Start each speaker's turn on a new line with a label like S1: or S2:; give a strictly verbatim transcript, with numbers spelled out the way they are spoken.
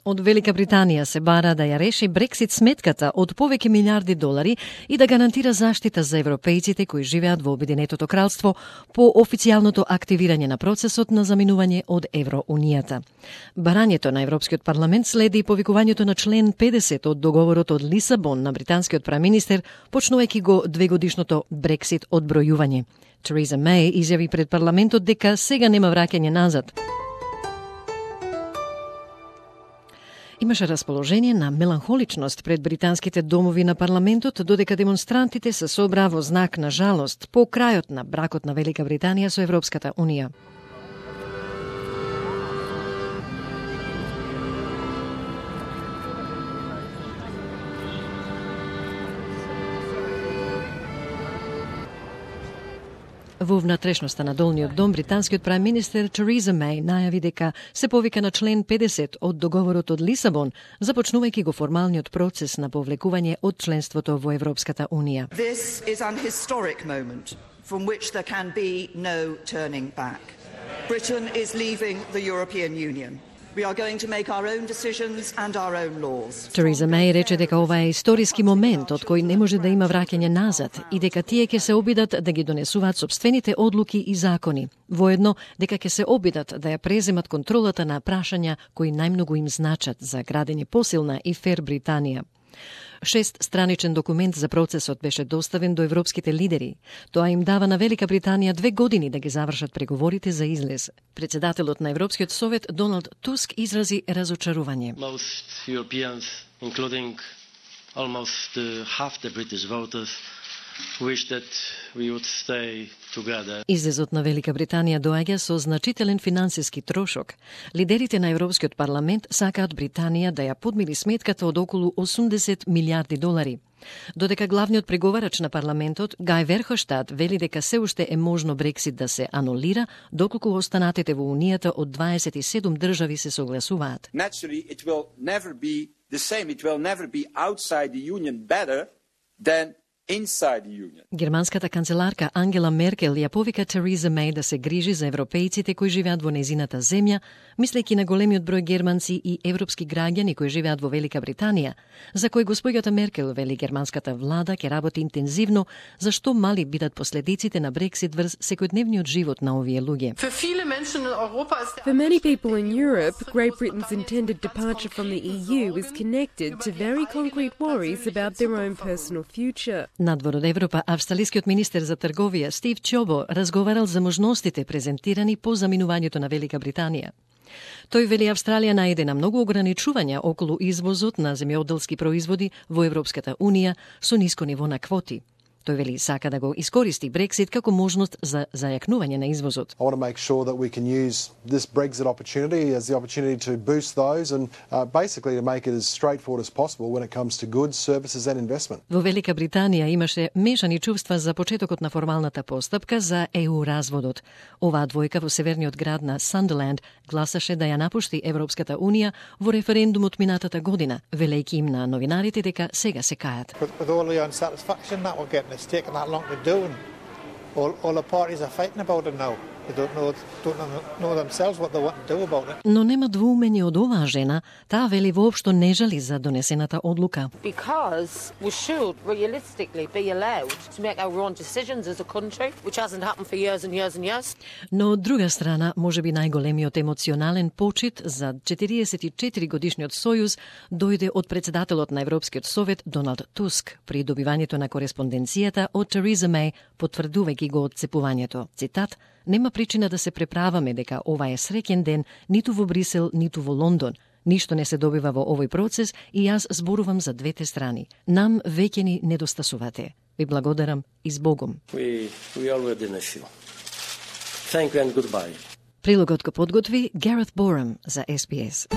S1: Од Велика Британија се бара да ја реши Брексит сметката од повеќе милиарди долари и да гарантира заштита за европејците кои живеат во Обединетото кралство по официјалното активирање на процесот на заминување од Евроунијата. Барањето на Европскиот парламент следи повикувањето на член педесет од договорот од Лисабон на британскиот преминистер, почнувајќи го двегодишното Брексит одбројување. Тереза Меј изјави пред парламентот дека сега нема враќање назад. Имаше расположение на меланхоличност пред британските домови на парламентот, додека демонстрантите се собраа во знак на жалост по крајот на бракот на Велика Британија со Европската Унија. Во внатрешноста на Долниот дом, британскиот преминистер Тереза Меј најави дека се повика на член педесет од договорот од Лисабон, започнувајќи го формалниот процес на повлекување од членството во Европската Унија.
S2: This is an historic moment from which there can be no turning back. Britain is leaving the European Union. We are going to make our own decisions and our own laws.
S1: Тереза Меј рече дека ова е историски момент од кој не може да има враќање назад и дека тие ќе се обидат да ги донесуваат сопствените одлуки и закони. Воедно дека ќе се обидат да ја преземат контролата на прашања кои најмногу им значат за градење посилна и фер Британија. Шест страничен документ за процесот беше доставен до европските лидери. Тоа им дава на Велика Британија две години да ги завршат преговорите за излез. Председателот на Европскиот совет Доналд Туск изрази разочарување.
S3: Most Europeans, including almost uh, half the British voters, wish that we would stay together.
S1: Излезот на Велика Британија доаѓа со значителен финансиски трошок. Лидерите на Европскиот парламент сакаат Британија да ја подмири сметката од околу осумдесет милиарди долари. Додека главниот преговарач на парламентот, Гај Верхоштад, вели дека се уште е можно Брексит да се анулира, доколку останатите во Унијата од дваесет и седум држави се согласуваат.
S4: Naturally, it will never be the same. It will never be outside the union better than inside the union.
S1: Германската канцеларка Ангела Меркел ја повика Тереза Меј да се грижи за европејците кои живеат во незината земја, мислејќи на големиот број германци и европски граѓани кои живеат во Велика Британија, за кои господјата Меркел вели германската влада ќе работи интензивно за што мали бидат последиците на Брексит врз секојдневниот живот на овие луѓе.
S5: For many people in Europe, Great Britain's intended departure from the E U is connected to very concrete worries about their own personal future.
S1: Надвор од Европа, австралискиот министер за трговија Стив Чобо разговарал за можностите презентирани по заминувањето на Велика Британија. Тој вели Австралија најде на многу ограничувања околу извозот на земјоделски производи во Европската Унија со ниско ниво на квоти. Тој вели сака да го искористи Брексит како можност за зајакнување на извозот.
S6: I want to make sure that we can use this Brexit opportunity as the opportunity to boost those and uh, basically to make it as straightforward as possible when it comes to goods, services and investment.
S1: Во Велика Британија имаше мешани чувства за почетокот на формалната постапка за Е У разводот. Оваа двојка во северниот град на Сандерленд гласаше да ја напушти Европската Унија во референдумот минатата година, велејќи им на новинарите дека сега се кајат.
S7: With all the unsatisfaction that we're getting, it's taken that long to do, and all, all the parties are fighting about it now. They don't know, don't know themselves what they want to do about it.
S1: Но нема двоумење од оваа жена, таа вели воопшто не жали за донесената одлука.
S8: Because we should realistically be allowed to make our own decisions as a country, which hasn't happened for years and years and years.
S1: Но од друга страна, можеби најголемиот емоционален почит за четириесет и четири годишниот сојуз дојде од председателот на Европскиот совет Доналд Туск при добивањето на кореспонденцијата од Тереза Меј, потврдувајќи го одцепувањето. Цитат: "Нема причина да се преправаме дека ова е среќен ден ниту во Брисел, ниту во Лондон. Ништо не се добива во овој процес и јас зборувам за двете страни. Нам веќе ни недостасувате. Ви благодарам и збогом."
S3: We, we already know. Thank you and goodbye.
S1: Прилогот го подготви Гарет Борам за Ес Би Ес.